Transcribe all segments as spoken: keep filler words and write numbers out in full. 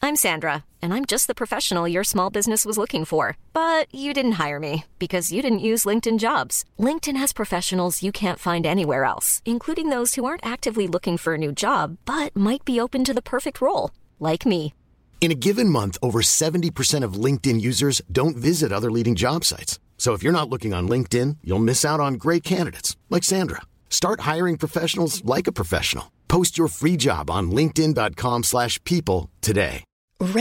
I'm Sandra, and I'm just the professional your small business was looking for. But you didn't hire me because you didn't use LinkedIn Jobs. LinkedIn has professionals you can't find anywhere else, including those who aren't actively looking for a new job, but might be open to the perfect role, like me. In a given month, over seventy percent of LinkedIn users don't visit other leading job sites. So if you're not looking on LinkedIn, you'll miss out on great candidates like Sandra. Start hiring professionals like a professional. Post your free job on linkedin dot com slash people today.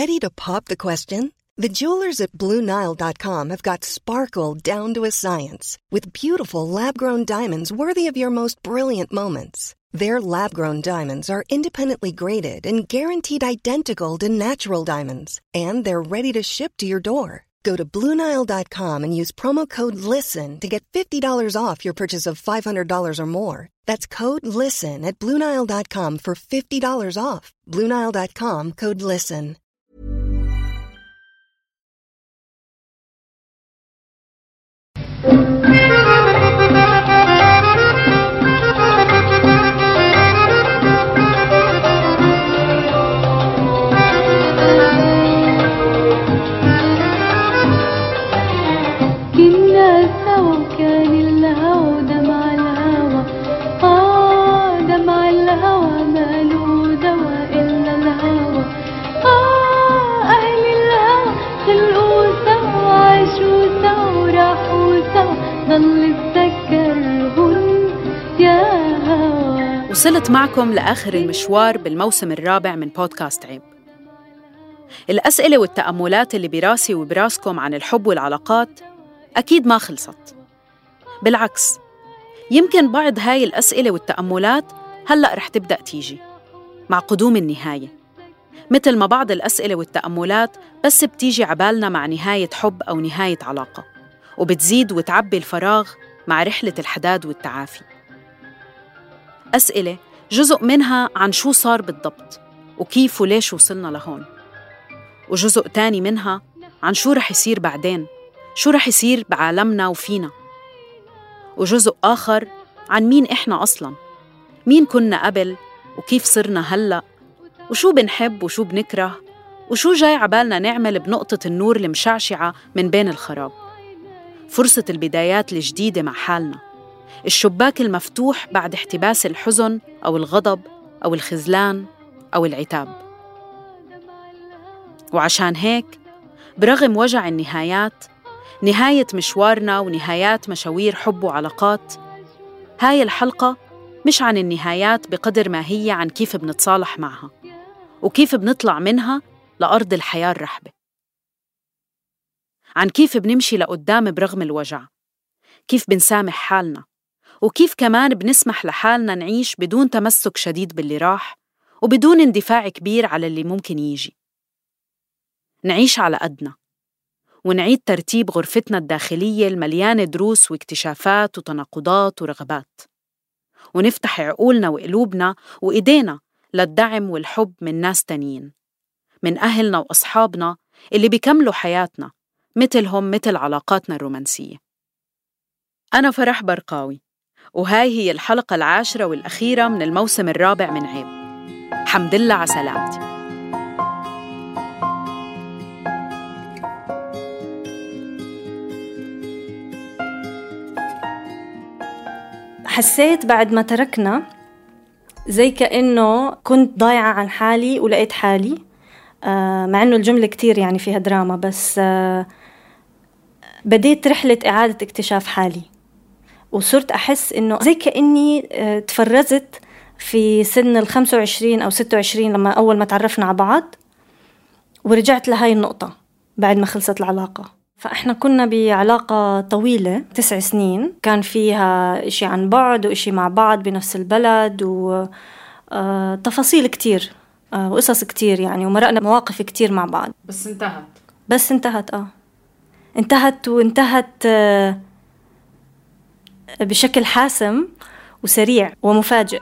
Ready to pop the question? The jewelers at Blue Nile dot com have got sparkle down to a science with beautiful lab-grown diamonds worthy of your most brilliant moments. Their lab-grown diamonds are independently graded and guaranteed identical to natural diamonds, and they're ready to ship to your door. Go to Blue Nile dot com and use promo code LISTEN to get fifty dollars off your purchase of five hundred dollars or more. That's code LISTEN at Blue Nile dot com for fifty dollars off. Blue Nile dot com, code LISTEN. وصلت معكم لآخر المشوار بالموسم الرابع من بودكاست عيب. الأسئلة والتأملات اللي براسي وبراسكم عن الحب والعلاقات أكيد ما خلصت. بالعكس، يمكن بعض هاي الأسئلة والتأملات هلأ رح تبدأ تيجي مع قدوم النهاية، مثل ما بعض الأسئلة والتأملات بس بتيجي عبالنا مع نهاية حب أو نهاية علاقة، وبتزيد وتعبي الفراغ مع رحلة الحداد والتعافي. أسئلة جزء منها عن شو صار بالضبط وكيف وليش وصلنا لهون، وجزء تاني منها عن شو رح يصير بعدين، شو رح يصير بعالمنا وفينا، وجزء آخر عن مين إحنا أصلاً، مين كنا قبل وكيف صرنا هلأ، وشو بنحب وشو بنكره، وشو جاي عبالنا نعمل بنقطة النور المشعشعة من بين الخراب. فرصة البدايات الجديدة مع حالنا، الشباك المفتوح بعد احتباس الحزن أو الغضب أو الخذلان أو العتاب. وعشان هيك برغم وجع النهايات، نهاية مشوارنا ونهايات مشاوير حب وعلاقات، هاي الحلقة مش عن النهايات بقدر ما هي عن كيف بنتصالح معها وكيف بنطلع منها لأرض الحياة الرحبة، عن كيف بنمشي لقدام برغم الوجع، كيف بنسامح حالنا، وكيف كمان بنسمح لحالنا نعيش بدون تمسك شديد باللي راح وبدون اندفاع كبير على اللي ممكن يجي. نعيش على قدنا ونعيد ترتيب غرفتنا الداخلية المليانة دروس واكتشافات وتناقضات ورغبات، ونفتح عقولنا وقلوبنا وإيدينا للدعم والحب من ناس تانيين، من أهلنا وأصحابنا اللي بيكملوا حياتنا مثلهم مثل علاقاتنا الرومانسية. أنا فرح برقاوي، وهاي هي الحلقة العاشرة والأخيرة من الموسم الرابع من عيب. حمد لله على سلامتي. حسيت بعد ما تركنا زي كأنه كنت ضايعة عن حالي ولقيت حالي، آه مع أنه الجملة كتير يعني فيها دراما، بس آه بديت رحلة إعادة اكتشاف حالي، وصرت أحس إنه زي كأني آه تفرزت في سن الخمسة وعشرين أو ستة وعشرين لما أول ما تعرفنا على بعض، ورجعت لهاي النقطة بعد ما خلصت العلاقة. فإحنا كنا بعلاقة طويلة تسع سنين، كان فيها إشي عن بعد وإشي مع بعض بنفس البلد، وتفاصيل كتير وقصص كتير يعني، ومرقنا مواقف كتير مع بعض. بس انتهت بس انتهت آه انتهت وانتهت آه بشكل حاسم وسريع ومفاجئ.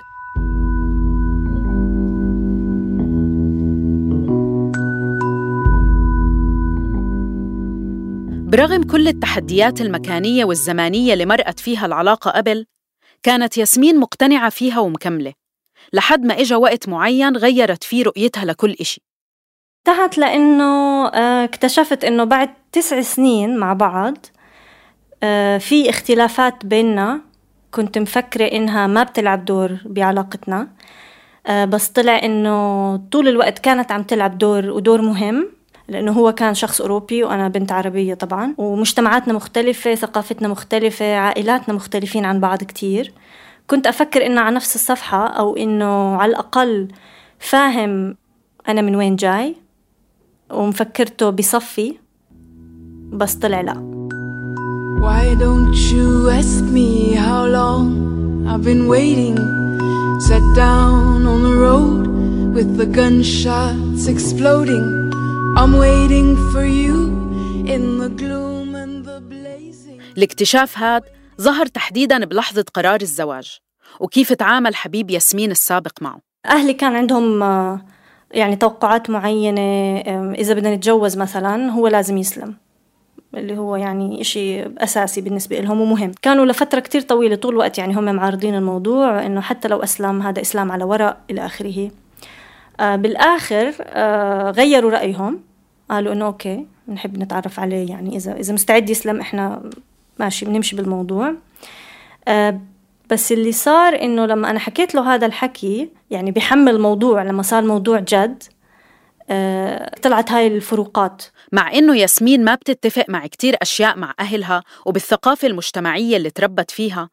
برغم كل التحديات المكانية والزمانية اللي مرقت فيها العلاقة قبل، كانت ياسمين مقتنعة فيها ومكملة لحد ما إجا وقت معين غيرت فيه رؤيتها لكل إشي. انتهت لأنه اكتشفت إنه بعد تسع سنين مع بعض في اختلافات بيننا كنت مفكرة إنها ما بتلعب دور بعلاقتنا، بس طلع إنه طول الوقت كانت عم تلعب دور ودور مهم، لأنه هو كان شخص أوروبي وأنا بنت عربية طبعاً، ومجتمعاتنا مختلفة، ثقافتنا مختلفة، عائلاتنا مختلفين عن بعض كتير. كنت أفكر إنه على نفس الصفحة، أو إنه على الأقل فاهم أنا من وين جاي، ومفكرته بصفي، بس طلع لا. Why don't you ask me how long I've been waiting? Sat down on the road with the gunshots exploding. I'm waiting for you in the gloom and the blazing. الاكتشاف هاد ظهر تحديداً بلحظة قرار الزواج، وكيف تعامل حبيب ياسمين السابق معه. أهلي كان عندهم يعني توقعات معينة، إذا بدنا نتجوز مثلاً هو لازم يسلم، اللي هو يعني إشي أساسي بالنسبة لهم ومهم. كانوا لفترة كتير طويلة طول الوقت يعني هم معارضين الموضوع، إنه حتى لو أسلم هذا إسلام على ورق إلى آخره. آه بالآخر آه غيروا رأيهم، قالوا إنه أوكي بنحب نتعرف عليه، يعني إذا إذا مستعد يسلم إحنا ماشي بنمشي بالموضوع. آه بس اللي صار إنه لما أنا حكيت له هذا الحكي، يعني بيحمل الموضوع، لما صار موضوع جد آه طلعت هاي الفروقات. مع إنه ياسمين ما بتتفق مع كتير أشياء مع أهلها وبالثقافة المجتمعية اللي تربت فيها،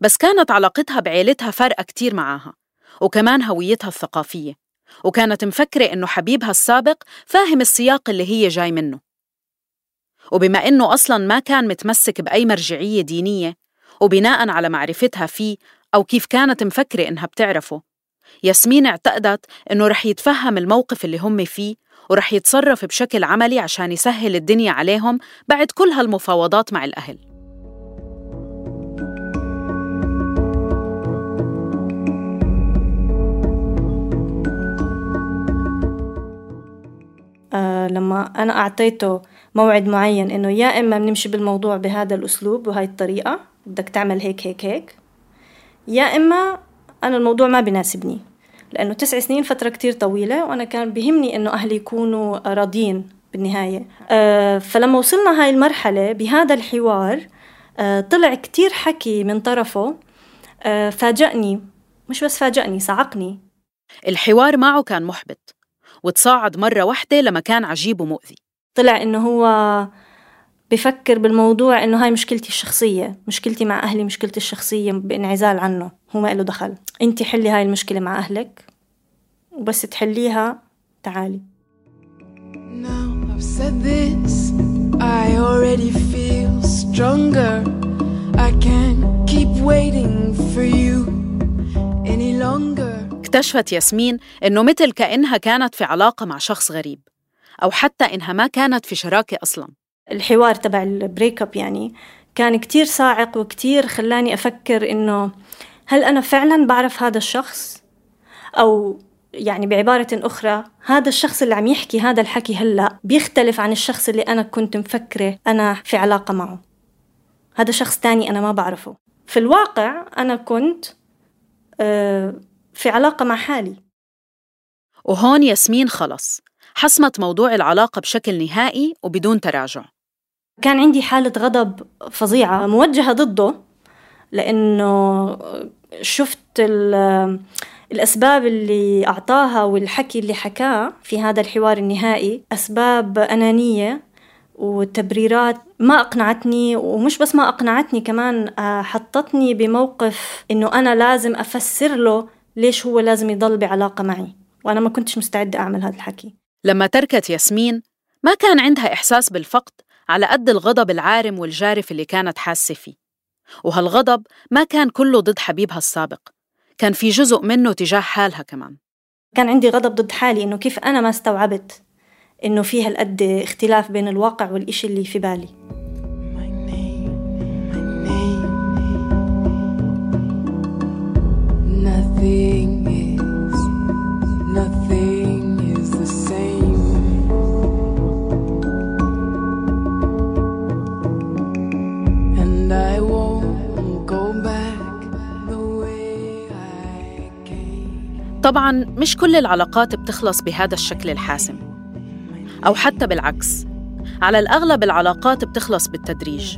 بس كانت علاقتها بعيلتها فارقة كتير معاها، وكمان هويتها الثقافية، وكانت مفكرة إنه حبيبها السابق فاهم السياق اللي هي جاي منه. وبما إنه أصلاً ما كان متمسك بأي مرجعية دينية، وبناءً على معرفتها فيه أو كيف كانت مفكرة إنها بتعرفه، ياسمين اعتقدت إنه رح يتفهم الموقف اللي هم فيه ورح يتصرف بشكل عملي عشان يسهل الدنيا عليهم بعد كل هالمفاوضات مع الأهل. آه لما أنا أعطيته موعد معين إنه يا إما بنمشي بالموضوع بهذا الأسلوب وهاي الطريقة، بدك تعمل هيك هيك هيك، يا إما أنا الموضوع ما بيناسبني، لأنه تسع سنين فترة كتير طويلة، وأنا كان بيهمني إنه أهلي يكونوا راضين بالنهاية. آه فلما وصلنا هاي المرحلة بهذا الحوار آه طلع كتير حكي من طرفه آه فاجأني، مش بس فاجأني، صعقني. الحوار معه كان محبط، وتصاعد مرة واحدة لما كان عجيب ومؤذي. طلع إنه هو بفكر بالموضوع إنه هاي مشكلتي الشخصية، مشكلتي مع أهلي، مشكلتي الشخصية بانعزال عنه، هو ما له دخل. أنت حلي هاي المشكلة مع أهلك، وبس تحليها تعالي. Now I've said this, I already feel stronger. I can't keep waiting for you any longer. اكتشفت ياسمين إنه مثل كأنها كانت في علاقة مع شخص غريب، أو حتى إنها ما كانت في شراكة أصلاً. الحوار تبع البريك اب يعني كان كتير صاعق وكتير خلاني أفكر إنه هل أنا فعلاً بعرف هذا الشخص؟ أو يعني بعبارة أخرى، هذا الشخص اللي عم يحكي هذا الحكي هلأ بيختلف عن الشخص اللي أنا كنت مفكرة أنا في علاقة معه. هذا شخص تاني أنا ما بعرفه. في الواقع أنا كنت آه في علاقة مع حالي. وهون ياسمين خلص حسمت موضوع العلاقة بشكل نهائي وبدون تراجع. كان عندي حالة غضب فظيعة موجهة ضده، لأنه شفت الأسباب اللي أعطاها والحكي اللي حكاه في هذا الحوار النهائي أسباب أنانية وتبريرات ما أقنعتني، ومش بس ما أقنعتني، كمان حطتني بموقف إنه أنا لازم أفسر له ليش هو لازم يضل بعلاقة معي، وأنا ما كنتش مستعدة أعمل هذا الحكي. لما تركت ياسمين ما كان عندها إحساس بالفقد على قد الغضب العارم والجارف اللي كانت حاسة فيه، وهالغضب ما كان كله ضد حبيبها السابق، كان في جزء منه تجاه حالها كمان. كان عندي غضب ضد حالي، إنه كيف أنا ما استوعبت إنه فيها القد اختلاف بين الواقع والإشي اللي في بالي. طبعاً مش كل العلاقات بتخلص بهذا الشكل الحاسم، أو حتى بالعكس. على الأغلب العلاقات بتخلص بالتدريج،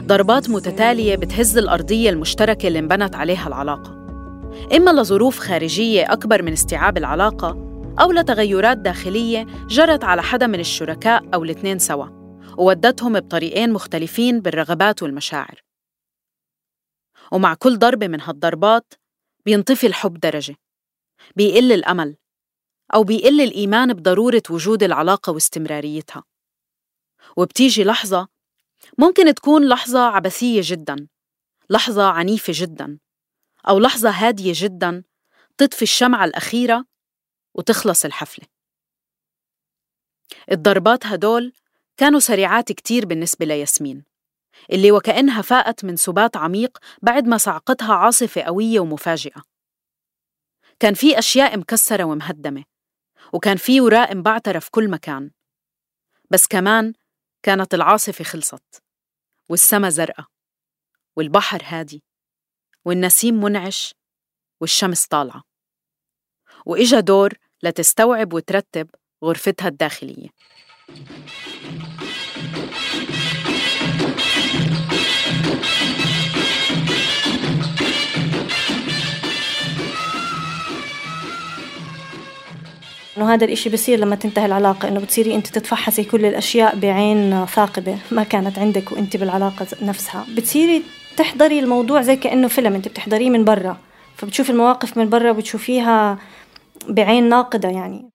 ضربات متتالية بتهز الأرضية المشتركة اللي انبنت عليها العلاقة، إما لظروف خارجية أكبر من استيعاب العلاقة، أو لتغيرات داخلية جرت على حدا من الشركاء أو الاثنين سوا وودتهم بطريقين مختلفين بالرغبات والمشاعر. ومع كل ضربة من هالضربات بينطفي الحب درجة، بيقل الأمل، أو بيقل الإيمان بضرورة وجود العلاقة واستمراريتها. وبتيجي لحظة ممكن تكون لحظة عبثية جداً، لحظة عنيفة جداً، أو لحظة هادية جداً تطفي الشمعة الأخيرة وتخلص الحفلة. الضربات هدول كانوا سريعات كتير بالنسبة لياسمين، اللي وكأنها فاقت من سبات عميق بعد ما صعقتها عاصفة قوية ومفاجئة. كان في أشياء مكسرة ومهدمة، وكان في وراء مبعترة في كل مكان، بس كمان كانت العاصفة خلصت، والسما زرقاء، والبحر هادي، والنسيم منعش، والشمس طالعة، وإجا دور لتستوعب وترتب غرفتها الداخلية. إنه هذا الإشي بصير لما تنتهي العلاقة، إنه بتصيري أنت تتفحصي كل الأشياء بعين ثاقبة ما كانت عندك وأنت بالعلاقة نفسها. بتصيري تحضري الموضوع زي كأنه فيلم أنت بتحضريه من برا، فبتشوفي المواقف من برا وبتشوفيها بعين ناقدة. يعني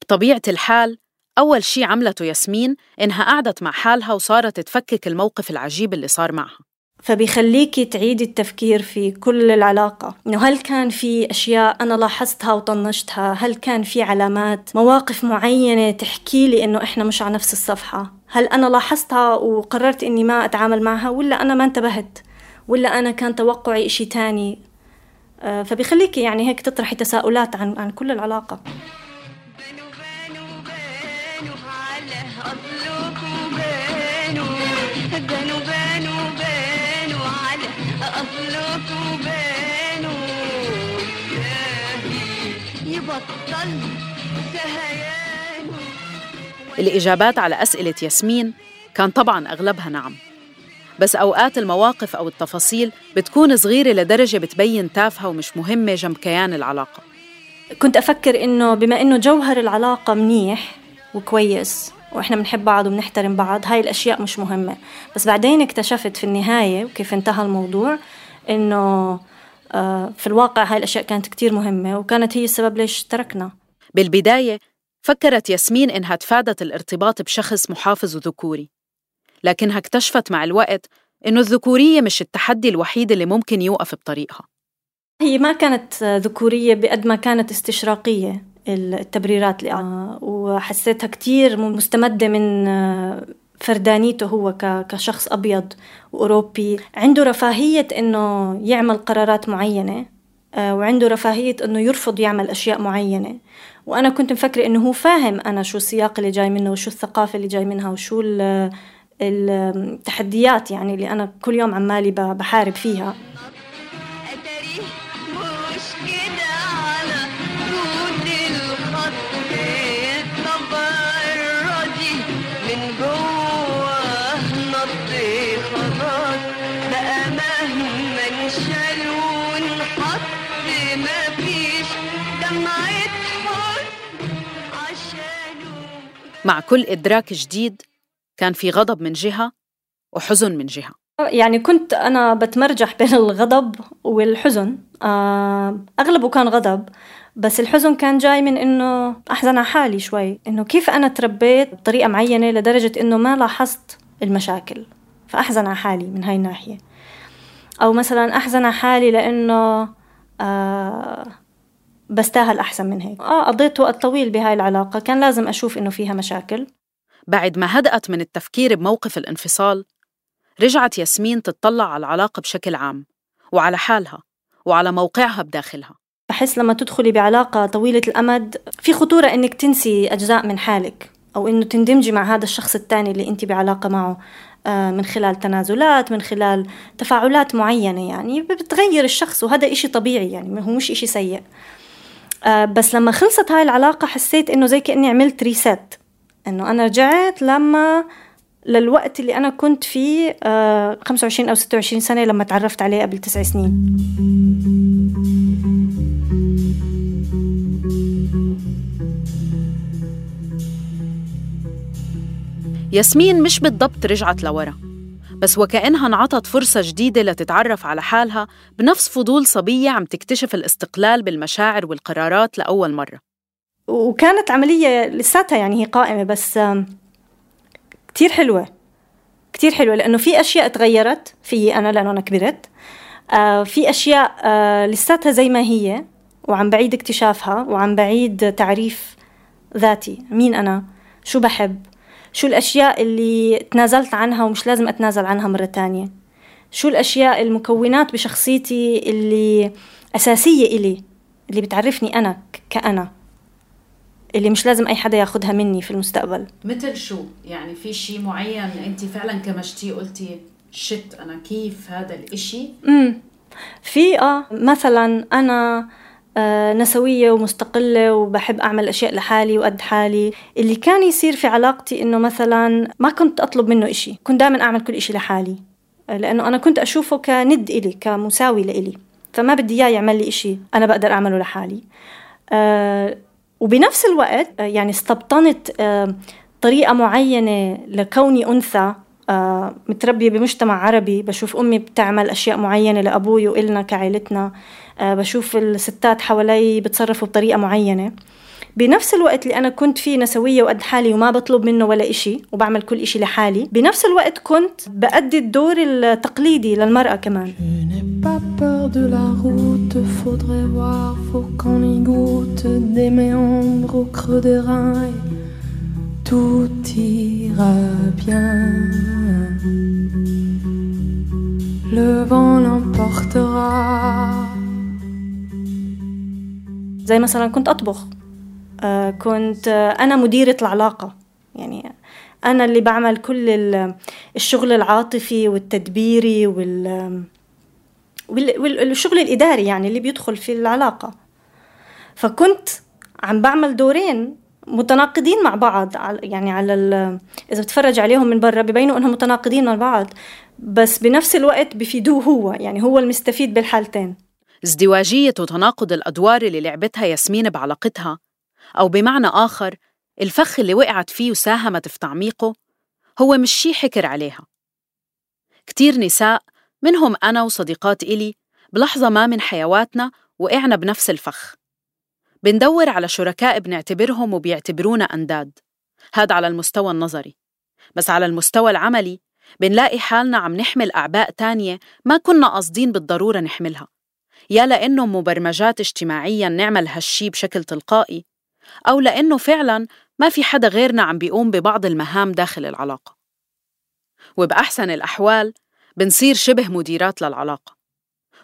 بطبيعة الحال أول شي عملته ياسمين إنها قعدت مع حالها وصارت تفكك الموقف العجيب اللي صار معها، فبيخليكي تعيدي التفكير في كل العلاقة، إنه هل كان في أشياء أنا لاحظتها وطنشتها، هل كان في علامات مواقف معينة تحكي لي إنه إحنا مش على نفس الصفحة، هل أنا لاحظتها وقررت إني ما أتعامل معها، ولا أنا ما انتبهت، ولا أنا كان توقعي إشي تاني. فبيخليكي يعني هيك تطرحي تساؤلات عن عن كل العلاقة. الإجابات على أسئلة ياسمين كان طبعاً أغلبها نعم، بس أوقات المواقف أو التفاصيل بتكون صغيرة لدرجة بتبين تافهة ومش مهمة جنب كيان العلاقة. كنت أفكر إنه بما إنه جوهر العلاقة منيح وكويس وإحنا بنحب بعض وبنحترم بعض، هاي الأشياء مش مهمة. بس بعدين اكتشفت في النهاية وكيف انتهى الموضوع إنه في الواقع هاي الأشياء كانت كتير مهمة، وكانت هي السبب ليش تركنا. بالبداية فكرت ياسمين إنها تفادت الارتباط بشخص محافظ وذكوري، لكنها اكتشفت مع الوقت إنه الذكورية مش التحدي الوحيد اللي ممكن يوقف بطريقها. هي ما كانت ذكورية بقد ما كانت استشراقية التبريرات اللي آه وحسيتها كتير مستمدة من فردانيته هو كشخص أبيض وأوروبي عنده رفاهية إنه يعمل قرارات معينة، آه وعنده رفاهية إنه يرفض يعمل أشياء معينة. وأنا كنت مفكرة إنه هو فاهم أنا شو السياق اللي جاي منه وشو الثقافة اللي جاي منها وشو التحديات يعني اللي أنا كل يوم عمالي بحارب فيها. مع كل إدراك جديد كان في غضب من جهة وحزن من جهة. يعني كنت أنا بتمرجح بين الغضب والحزن، أغلبه كان غضب، بس الحزن كان جاي من إنه أحزن على حالي شوي، إنه كيف أنا تربيت بطريقة معينة لدرجة إنه ما لاحظت المشاكل، فأحزن على حالي من هاي الناحية. أو مثلا أحزن على حالي لأنه آه بستاهل أحسن من هيك. آه قضيت وقت طويل بهاي العلاقة، كان لازم أشوف إنه فيها مشاكل. بعد ما هدأت من التفكير بموقف الانفصال، رجعت ياسمين تتطلع على العلاقة بشكل عام وعلى حالها وعلى موقعها بداخلها. بحس لما تدخلي بعلاقة طويلة الأمد في خطورة إنك تنسي أجزاء من حالك، أو إنه تندمجي مع هذا الشخص التاني اللي أنت بعلاقة معه من خلال تنازلات، من خلال تفاعلات معينة، يعني بتغير الشخص، وهذا إشي طبيعي يعني هو مش إشي سيء. آه بس لما خلصت هاي العلاقة حسيت إنه زي كأني عملت ريسات، إنه أنا رجعت لما للوقت اللي أنا كنت فيه آه خمسة وعشرين أو ستة وعشرين سنة لما تعرفت عليه قبل تسع سنين. ياسمين مش بالضبط رجعت لورا، بس وكأنها انعطت فرصة جديدة لتتعرف على حالها بنفس فضول صبية عم تكتشف الاستقلال بالمشاعر والقرارات لأول مرة. وكانت عملية لساتها يعني هي قائمة، بس كتير حلوة كتير حلوة، لأنه في أشياء تغيرت فيي أنا لأنه أنا كبرت، في أشياء لساتها زي ما هي وعم بعيد اكتشافها وعم بعيد تعريف ذاتي، مين أنا، شو بحب، شو الأشياء اللي تنازلت عنها ومش لازم أتنازل عنها مرة تانية، شو الأشياء المكونات بشخصيتي اللي أساسية إلي، اللي بتعرفني أنا كأنا، اللي مش لازم أي حدا ياخدها مني في المستقبل. مثل شو؟ يعني في شيء معين أنت فعلا كمشتي قلتي شت أنا كيف هذا الإشي؟ امم في آه مثلا أنا آه نسوية ومستقلة وبحب أعمل أشياء لحالي وقد حالي. اللي كان يصير في علاقتي إنه مثلا ما كنت أطلب منه إشي، كنت دائما أعمل كل إشي لحالي، لأنه أنا كنت أشوفه كند إلي، كمساوي لإلي، فما بدي إياه يعمل لي إشي أنا بقدر أعمله لحالي. آه وبنفس الوقت يعني استبطنت آه طريقة معينة لكوني أنثى آه متربية بمجتمع عربي، بشوف أمي بتعمل أشياء معينة لأبوي وإلنا كعائلتنا، آه بشوف الستات حوالي بتصرفوا بطريقة معينة. بنفس الوقت اللي أنا كنت فيه نسوية وقد حالي وما بطلب منه ولا إشي وبعمل كل إشي لحالي، بنفس الوقت كنت بأدي الدور التقليدي للمرأة كمان. زي مثلا كنت أطبخ، آه كنت آه أنا مديرة العلاقة، يعني أنا اللي بعمل كل الشغل العاطفي والتدبيري وال والشغل الإداري يعني اللي بيدخل في العلاقة. فكنت عم بعمل دورين متناقضين مع بعض، يعني على إذا بتفرج عليهم من برا بيبينوا إنهم متناقضين مع بعض، بس بنفس الوقت بيفيدوه هو، يعني هو المستفيد بالحالتين. ازدواجية وتناقض الأدوار اللي لعبتها ياسمين بعلاقتها، أو بمعنى آخر الفخ اللي وقعت فيه وساهمت في تعميقه، هو مش شي حكر عليها. كتير نساء منهم أنا وصديقات إلي بلحظة ما من حيواتنا وقعنا بنفس الفخ، بندور على شركاء بنعتبرهم وبيعتبرونا أنداد، هذا على المستوى النظري. بس على المستوى العملي بنلاقي حالنا عم نحمل أعباء تانية ما كنا قاصدين بالضرورة نحملها، يا لأنه مبرمجات اجتماعياً نعمل هالشي بشكل تلقائي، أو لأنه فعلاً ما في حدا غيرنا عم بيقوم ببعض المهام داخل العلاقة. وبأحسن الأحوال بنصير شبه مديرات للعلاقة،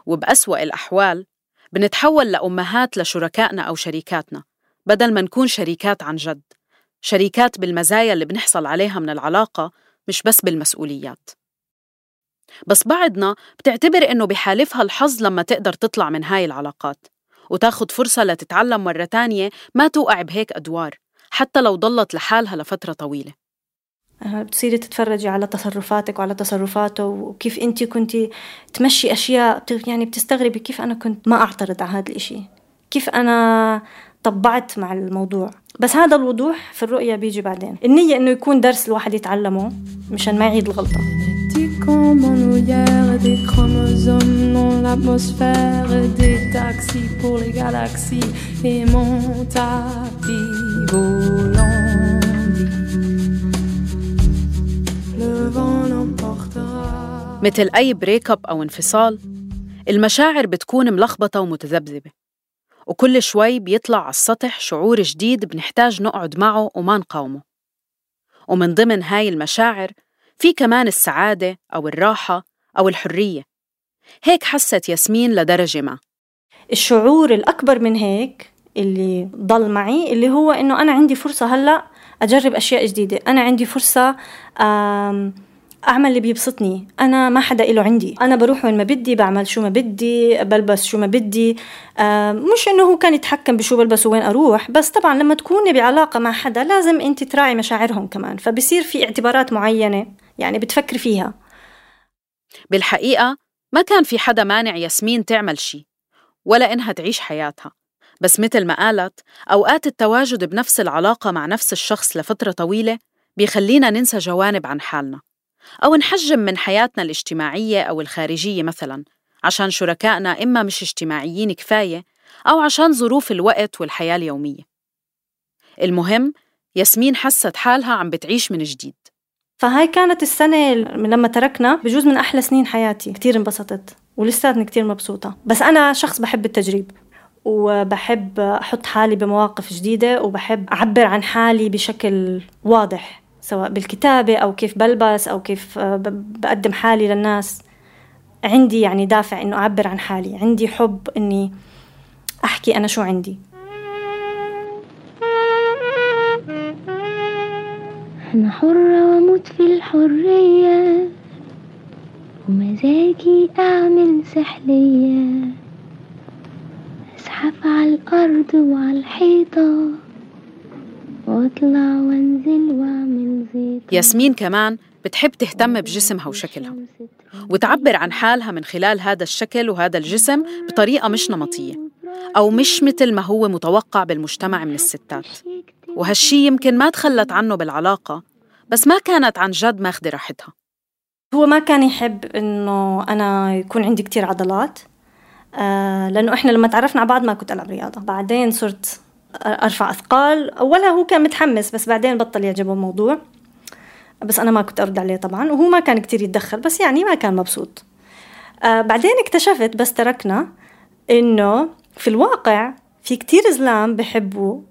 وبأسوأ الأحوال بنتحول لأمهات لشركائنا أو شريكاتنا، بدل ما نكون شريكات عن جد، شريكات بالمزايا اللي بنحصل عليها من العلاقة مش بس بالمسؤوليات. بس بعضنا بتعتبر إنه بحالفها الحظ لما تقدر تطلع من هاي العلاقات وتاخد فرصة لتتعلم مرة تانية ما توقع بهيك أدوار، حتى لو ضلت لحالها لفترة طويلة. بتصيري تتفرجي على تصرفاتك وعلى تصرفاته وكيف أنتي كنتي تمشي أشياء، يعني بتستغربي كيف أنا كنت ما أعترض على هذا الإشي، كيف أنا طبعت مع الموضوع. بس هذا الوضوح في الرؤية بيجي بعدين. النية إنه يكون درس الواحد يتعلمه مشان ما يعيد الغلطة. comme en Nouillère, des chromosomes dans l'atmosphère, des taxis pour les galaxies et mon tapis volant. Le vent l'emportera. مثل أي بريك اب أو انفصال، المشاعر بتكون ملخبطة ومتذبذبة، وكل شوي بيطلع على السطح شعور جديد بنحتاج نقعد معه وما نقاومه. ومن ضمن هاي المشاعر في كمان السعادة أو الراحة أو الحرية. هيك حست ياسمين لدرجة ما. الشعور الأكبر من هيك اللي ضل معي اللي هو إنه أنا عندي فرصة هلأ أجرب أشياء جديدة، أنا عندي فرصة أعمل اللي بيبسطني. أنا ما حدا إله عندي، أنا بروح وين ما بدي، بعمل شو ما بدي، بلبس شو ما بدي. آه مش إنه هو كان يتحكم بشو بلبس وين أروح، بس طبعا لما تكوني بعلاقة مع حدا لازم أنت تراعي مشاعرهم كمان، فبصير في اعتبارات معينة يعني بتفكر فيها. بالحقيقة ما كان في حدا مانع ياسمين تعمل شي ولا إنها تعيش حياتها، بس مثل ما قالت أوقات التواجد بنفس العلاقة مع نفس الشخص لفترة طويلة بيخلينا ننسى جوانب عن حالنا أو نحجم من حياتنا الاجتماعية أو الخارجية مثلاً عشان شركائنا إما مش اجتماعيين كفاية أو عشان ظروف الوقت والحياة اليومية. المهم ياسمين حست حالها عم بتعيش من جديد. فهاي كانت السنة لما تركنا بجوز من أحلى سنين حياتي، كتير انبسطت ولساتني كتير مبسوطة. بس أنا شخص بحب التجريب وبحب أحط حالي بمواقف جديدة وبحب أعبر عن حالي بشكل واضح، سواء بالكتابة أو كيف بلبس أو كيف بقدم حالي للناس. عندي يعني دافع إنه أعبر عن حالي، عندي حب إني أحكي أنا شو عندي. أنا حرة وأموت في الحرية ومزاجي أعمل سحلية، أزحف على الأرض وعلى الحيطة وأطلع وأنزل وأعمل زيطة. ياسمين كمان بتحب تهتم بجسمها وشكلها وتعبر عن حالها من خلال هذا الشكل وهذا الجسم بطريقة مش نمطية أو مش مثل ما هو متوقع بالمجتمع من الستات. وهالشي يمكن ما تخلت عنه بالعلاقة، بس ما كانت عن جد ماخدة راحتها. هو ما كان يحب إنه أنا يكون عندي كتير عضلات، آه لأنه إحنا لما تعرفنا على بعض ما كنت ألعب رياضة. بعدين صرت أرفع أثقال. أولا هو كان متحمس بس بعدين بطل يعجبه الموضوع، بس أنا ما كنت أرد عليه طبعا، وهو ما كان كتير يتدخل، بس يعني ما كان مبسوط. آه بعدين اكتشفت بس تركنا إنه في الواقع في كتير زلام بحبوا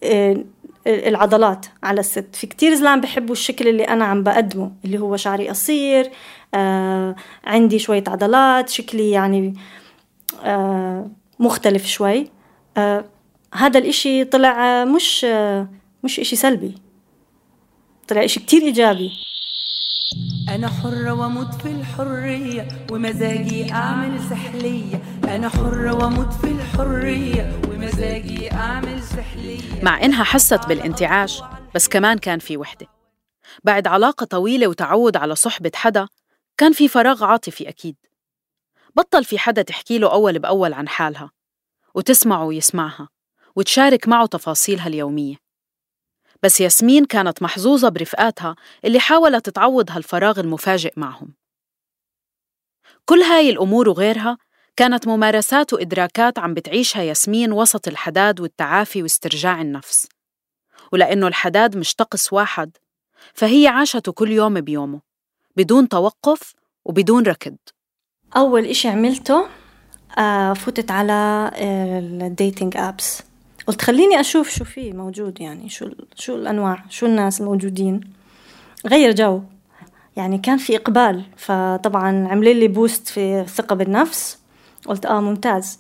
آه العضلات على الست، في كتير زلام بحبوا الشكل اللي أنا عم بقدمه اللي هو شعري قصير، آه عندي شوية عضلات، شكلي يعني آه مختلف شوي. آه هذا الإشي طلع مش آه مش إشي سلبي، طلع إشي كتير إيجابي. أنا حرة وأموت في الحرية ومزاجي أعمل سحلية. أنا حرة وأموت في الحرية ومزاجي أعمل سحلية. مع إنها حست بالانتعاش، بس كمان كان في وحدة. بعد علاقة طويلة وتعود على صحبة حدا كان في فراغ عاطفي أكيد. بطل في حدا تحكي له أول بأول عن حالها وتسمعه ويسمعها وتشارك معه تفاصيلها اليومية. بس ياسمين كانت محظوظة برفقاتها اللي حاولت تعوض هالفراغ المفاجئ معهم. كل هاي الأمور وغيرها كانت ممارسات وإدراكات عم بتعيشها ياسمين وسط الحداد والتعافي واسترجاع النفس. ولأنه الحداد مش طقس واحد، فهي عاشته كل يوم بيومه بدون توقف وبدون ركض. أول إشي عملته آه فتت على الديتينج أبس، قلت خليني أشوف شو فيه موجود، يعني شو شو الأنواع، شو الناس الموجودين، غير جو. يعني كان في إقبال، فطبعاً عمل لي بوست في الثقة بالنفس. قلت آه ممتاز.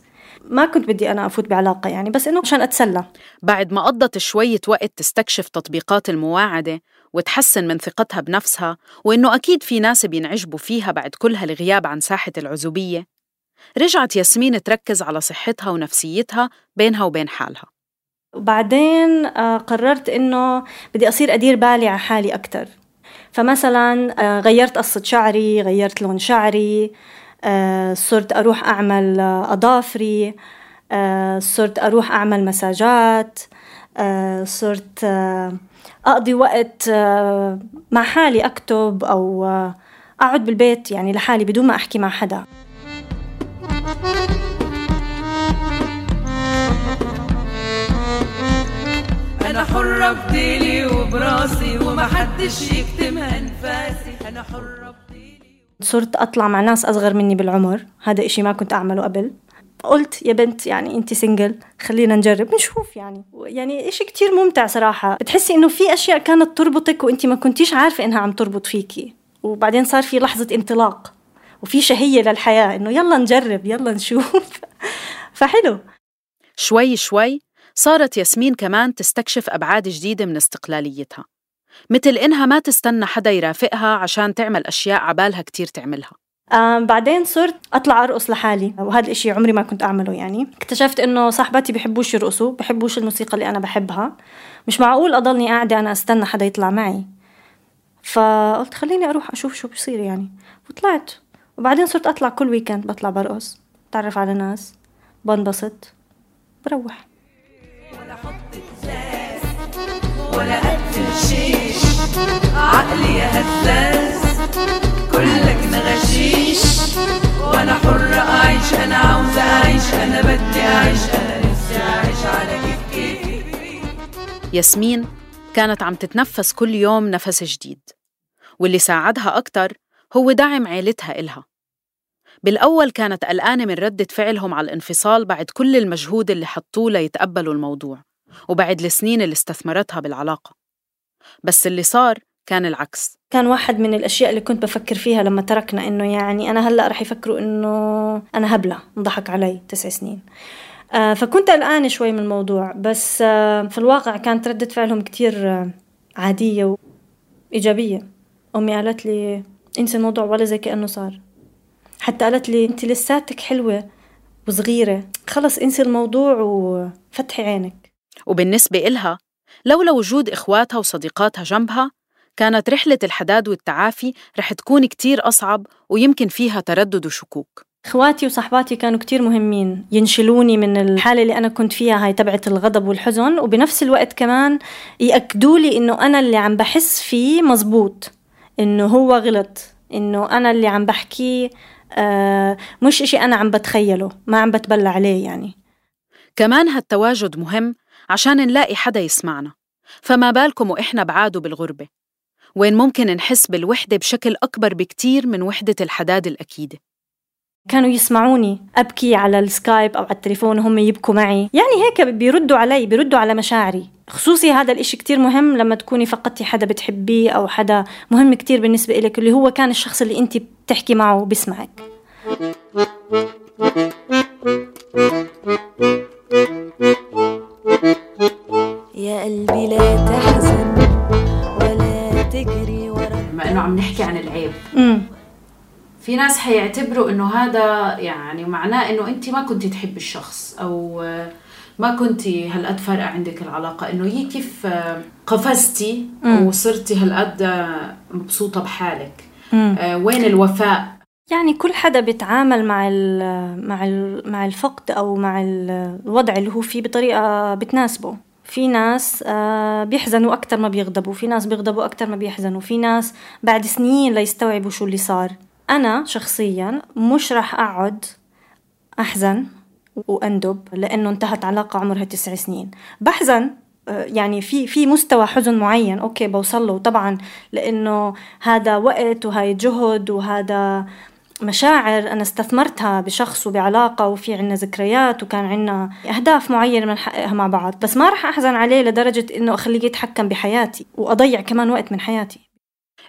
ما كنت بدي أنا أفوت بعلاقة يعني، بس إنه عشان أتسلى. بعد ما قضت شوية وقت تستكشف تطبيقات المواعدة وتحسن من ثقتها بنفسها، وإنه أكيد في ناس بينعجبوا فيها بعد كل هالغياب عن ساحة العزوبية، رجعت ياسمين تركز على صحتها ونفسيتها بينها وبين حالها. وبعدين قررت إنه بدي أصير أدير بالي على حالي أكتر. فمثلا غيرت قصة شعري، غيرت لون شعري، صرت أروح أعمل أظافري، صرت أروح أعمل مساجات، صرت أقضي وقت مع حالي، أكتب أو أقعد بالبيت يعني لحالي بدون ما أحكي مع حدا. أنا حرة بديلي وبراسي وما حدش يكتم أنفاسي. أنا حرة بديلي. صرت أطلع مع ناس أصغر مني بالعمر، هذا إشي ما كنت أعمله قبل. قلت يا بنت يعني أنت سنجل، خلينا نجرب نشوف. يعني يعني إشي كتير ممتع صراحة، بتحسي إنه في أشياء كانت تربطك وأنت ما كنتيش عارفة إنها عم تربط فيكي، وبعدين صار في لحظة انطلاق وفي شهية للحياة، إنه يلا نجرب يلا نشوف. فحلو. شوي شوي صارت ياسمين كمان تستكشف أبعاد جديدة من استقلاليتها، مثل إنها ما تستنى حدا يرافقها عشان تعمل أشياء عبالها كتير تعملها. آه بعدين صرت أطلع أرقص لحالي، وهذا الإشي عمري ما كنت أعمله. يعني اكتشفت إنه صاحباتي بيحبوش يرقصوا، بيحبوش الموسيقى اللي أنا بحبها، مش معقول أضلني قاعدة أنا أستنى حدا يطلع معي. فقلت خليني أروح أشوف شو بيصير يعني، وطلعت. وبعدين صرت أطلع كل ويكند، بطلع برقص، تعرف على ناس، بنبسط، بروح. ولا حط إزاز ولا قتل شيش، عقلي يا هزاز كلك نغشيش، وانا حرة اعيش، انا عاوزة اعيش، انا بدي اعيش، انا نفسي اعيش على كيف كيفي. ياسمين كانت عم تتنفس كل يوم نفس جديد، واللي ساعدها أكتر هو دعم عيلتها إلها. بالأول كانت قلقانة من ردة فعلهم على الانفصال بعد كل المجهود اللي حطوه ليتقبلوا الموضوع، وبعد السنين اللي استثمرتها بالعلاقة. بس اللي صار كان العكس. كان واحد من الأشياء اللي كنت بفكر فيها لما تركنا، إنه يعني أنا هلأ رح يفكروا إنه أنا هبلة، انضحك علي تسع سنين. آه فكنت قلقانة شوي من الموضوع، بس آه في الواقع كانت ردة فعلهم كتير آه عادية وإيجابية. أمي قالت لي انسي الموضوع ولا زي كأنه صار. حتى قالت لي انت لساتك حلوة وصغيرة، خلص انسي الموضوع وفتحي عينك. وبالنسبة إلها لولا وجود إخواتها وصديقاتها جنبها، كانت رحلة الحداد والتعافي رح تكون كتير أصعب، ويمكن فيها تردد وشكوك. إخواتي وصحباتي كانوا كتير مهمين، ينشلوني من الحالة اللي أنا كنت فيها، هاي تبعت الغضب والحزن، وبنفس الوقت كمان يأكدوا لي إنه أنا اللي عم بحس فيه مزبوط، إنه هو غلط، إنه أنا اللي عم بحكي آه مش إشي أنا عم بتخيله، ما عم بتبلع عليه. يعني كمان هالتواجد مهم عشان نلاقي حدا يسمعنا، فما بالكم وإحنا بعاد بالغربة، وين ممكن نحس بالوحدة بشكل أكبر بكتير من وحدة الحداد الأكيدة. كانوا يسمعوني أبكي على السكايب أو على التليفون وهم يبكوا معي، يعني هيك بيردوا علي، بيردوا على مشاعري. خصوصي هذا الإشي كتير مهم لما تكوني فقدتي حدا بتحبيه أو حدا مهم كتير بالنسبة إليك، اللي هو كان الشخص اللي أنت بتحكي معه وبسمعك. يا قلبي لا تحزن ولا تجري ورا. بما إنه عم نحكي عن العيب، امم في ناس حيعتبروا إنه هذا يعني معناه إنه أنت ما كنتي تحب الشخص، أو ما كنتي هالقد فارقة عندك العلاقة، إنه هي كيف قفزتي وصرتي هالقد مبسوطة بحالك. آه وين الوفاء؟ يعني كل حدا بيتعامل مع ال مع ال مع الفقد أو مع الوضع اللي هو فيه بطريقة بتناسبه. في ناس آه بيحزنوا أكتر ما بيغضبوا، في ناس بيغضبوا أكتر ما بيحزنوا، في ناس بعد سنين ليستوعبوا شو اللي صار. أنا شخصياً مش رح أقعد أحزن وأندب لأنه انتهت علاقة عمرها تسع سنين. بحزن يعني في في مستوى حزن معين أوكي بوصله طبعاً، لأنه هذا وقت وهاي جهد وهذا مشاعر أنا استثمرتها بشخص وبعلاقة، وفي عنا ذكريات وكان عنا أهداف معينة بنحققها مع بعض. بس ما رح أحزن عليه لدرجة إنه أخليه يتحكم بحياتي وأضيع كمان وقت من حياتي.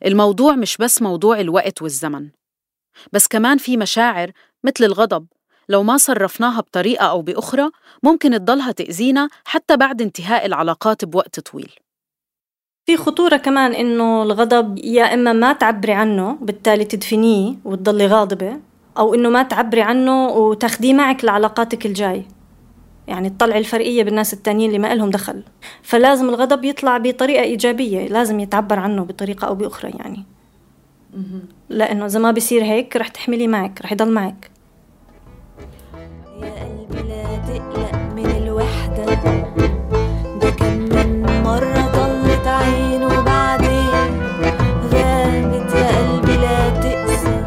الموضوع مش بس موضوع الوقت والزمن، بس كمان في مشاعر مثل الغضب لو ما صرفناها بطريقة أو بأخرى ممكن تضلها تأذينا حتى بعد انتهاء العلاقات بوقت طويل. في خطورة كمان إنه الغضب يا إما ما تعبري عنه بالتالي تدفنيه وتضلي غاضبة، أو إنه ما تعبري عنه وتاخديه معك لعلاقاتك الجاي، يعني تطلع الفرقية بالناس التانيين اللي ما لهم دخل. فلازم الغضب يطلع بطريقة إيجابية، لازم يتعبر عنه بطريقة أو بأخرى يعني. لأنه إذا ما بيصير هيك رح تحملي معك، رح يضل معك. يا قلبي لا تقلق من الوحدة، ده كم من مرة طلت عينه بعدين غابت. يا قلبي لا تقسى،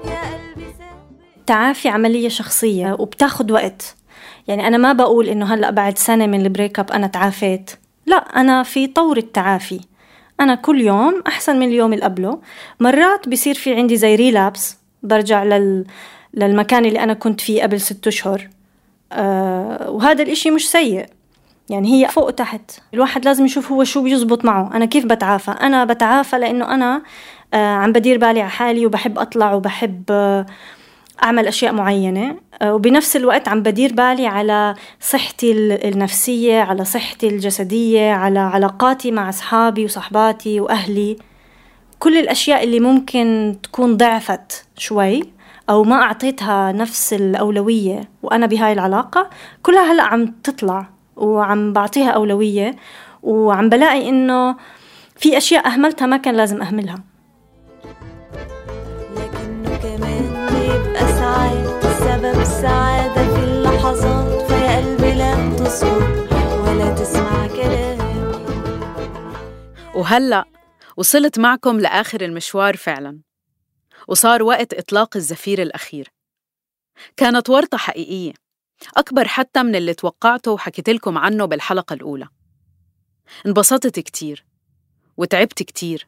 يا قلبي ثابت. التعافي عملية شخصية وبتاخد وقت. يعني أنا ما بقول إنه هلأ بعد سنة من البريك اب أنا تعافيت، لا، أنا في طور التعافي. أنا كل يوم أحسن من اليوم اللي قبله. مرات بيصير في عندي زي ريلابس، برجع لل... للمكان اللي أنا كنت فيه قبل ست أشهر. أه وهذا الإشي مش سيء، يعني هي فوق وتحت. الواحد لازم يشوف هو شو بيزبط معه. أنا كيف بتعافى؟ أنا بتعافى لأنه أنا أه عم بدير بالي على حالي وبحب أطلع وبحب أه أعمل أشياء معينة، وبنفس الوقت عم بدير بالي على صحتي النفسية، على صحتي الجسدية، على علاقاتي مع أصحابي وصحباتي وأهلي. كل الأشياء اللي ممكن تكون ضعفت شوي أو ما أعطيتها نفس الأولوية وأنا بهاي العلاقة، كلها هلأ عم تطلع وعم بعطيها أولوية، وعم بلاقي إنه في أشياء أهملتها ما كان لازم أهملها. لكنه كمان بيبقى ساعات سبب سعادة في اللحظات، فيا قلبي لا تصمت ولا تسمع كلامي. وهلأ وصلت معكم لآخر المشوار فعلاً، وصار وقت إطلاق الزفير الأخير. كانت ورطة حقيقية، أكبر حتى من اللي توقعته وحكيت لكم عنه بالحلقة الأولى. انبسطت كتير وتعبت كتير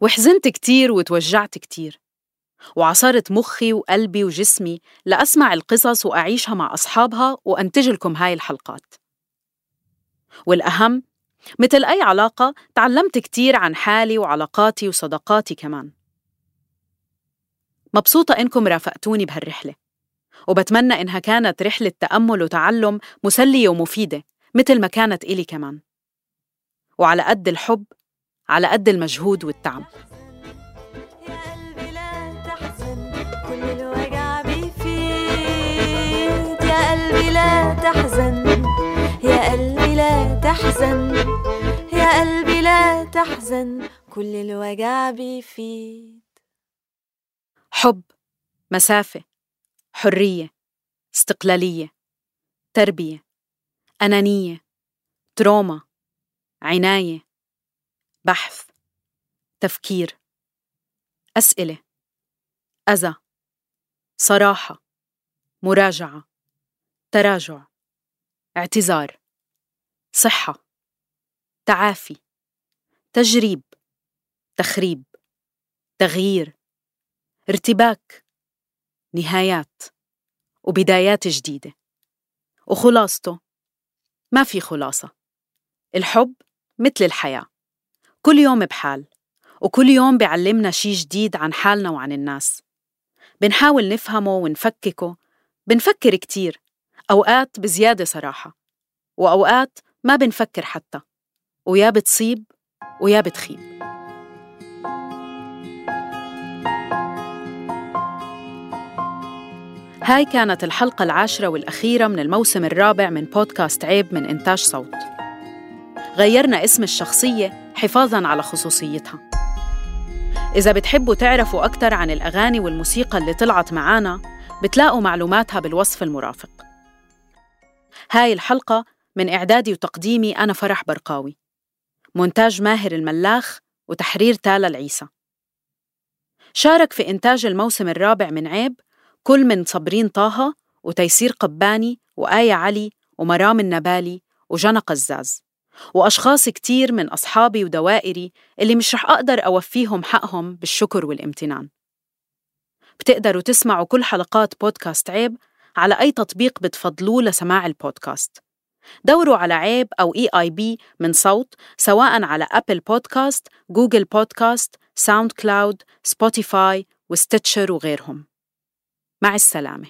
وحزنت كتير وتوجعت كتير، وعصرت مخي وقلبي وجسمي لأسمع القصص وأعيشها مع أصحابها وأنتج لكم هاي الحلقات. والأهم، مثل أي علاقة تعلمت كتير عن حالي وعلاقاتي وصداقاتي كمان. مبسوطة إنكم رافقتوني بهالرحلة، وبتمنى إنها كانت رحلة تأمل وتعلم مسلية ومفيدة مثل ما كانت إلي كمان. وعلى قد الحب على قد المجهود والتعب. يا قلبي لا تحزن، كل الوجع بيفيد. يا قلبي لا تحزن، يا قلبي لا تحزن، يا قلبي لا تحزن، كل الوجع بيفيد. حب، مسافة، حرية، استقلالية، تربية، أنانية، تروما، عناية، بحث، تفكير، أسئلة، أذى، صراحة، مراجعة، تراجع، اعتذار، صحة، تعافي، تجريب، تخريب، تغيير، ارتباك، نهايات، وبدايات جديدة. وخلاصته ما في خلاصة. الحب مثل الحياة، كل يوم بحال، وكل يوم بيعلمنا شي جديد عن حالنا وعن الناس. بنحاول نفهمه ونفككه، بنفكر كتير، أوقات بزيادة صراحة، وأوقات ما بنفكر حتى، ويا بتصيب ويا بتخيب. هاي كانت الحلقة العاشرة والأخيرة من الموسم الرابع من بودكاست عيب من إنتاج صوت. غيرنا اسم الشخصية حفاظاً على خصوصيتها. إذا بتحبوا تعرفوا أكتر عن الأغاني والموسيقى اللي طلعت معانا، بتلاقوا معلوماتها بالوصف المرافق. هاي الحلقة من إعدادي وتقديمي أنا فرح برقاوي، مونتاج ماهر الملاخ، وتحرير تالا العيسى. شارك في إنتاج الموسم الرابع من عيب كل من صبرين طه وتيسير قباني وآية علي ومرام النبالي وجنى قزاز، وأشخاص كتير من أصحابي ودوائري اللي مش رح أقدر أوفيهم حقهم بالشكر والامتنان. بتقدروا تسمعوا كل حلقات بودكاست عيب على أي تطبيق بتفضلوه لسماع البودكاست. دوروا على عيب أو إي آي بي من صوت، سواء على أبل بودكاست، جوجل بودكاست، ساوند كلاود، سبوتيفاي وستيتشر وغيرهم. مع السلامة.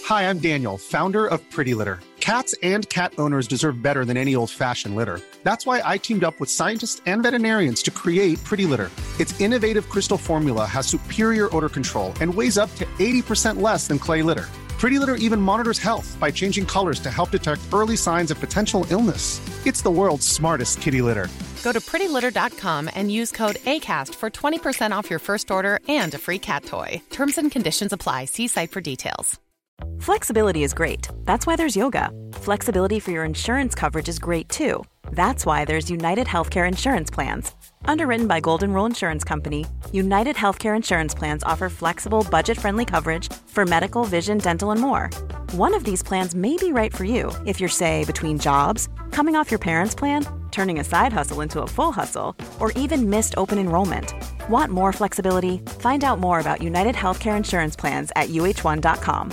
Hi, I'm Daniel, founder of Pretty Litter. Cats and cat owners deserve better than any old-fashioned litter. That's why I teamed up with scientists and veterinarians to create Pretty Litter. Its innovative crystal formula has superior odor control and weighs up to eighty percent less than clay litter. Pretty Litter even monitors health by changing colors to help detect early signs of potential illness. It's the world's smartest kitty litter. Go to pretty litter dot com and use code ACAST for twenty percent off your first order and a free cat toy. Terms and conditions apply. See site for details. Flexibility is great. That's why there's yoga. Flexibility for your insurance coverage is great too. That's why there's United Healthcare Insurance Plans. Underwritten by Golden Rule Insurance Company, United Healthcare Insurance Plans offer flexible, budget-friendly coverage for medical, vision, dental, and more. One of these plans may be right for you if you're, say, between jobs, coming off your parents' plan, turning a side hustle into a full hustle, or even missed open enrollment. Want more flexibility? Find out more about United Healthcare Insurance Plans at U H one dot com.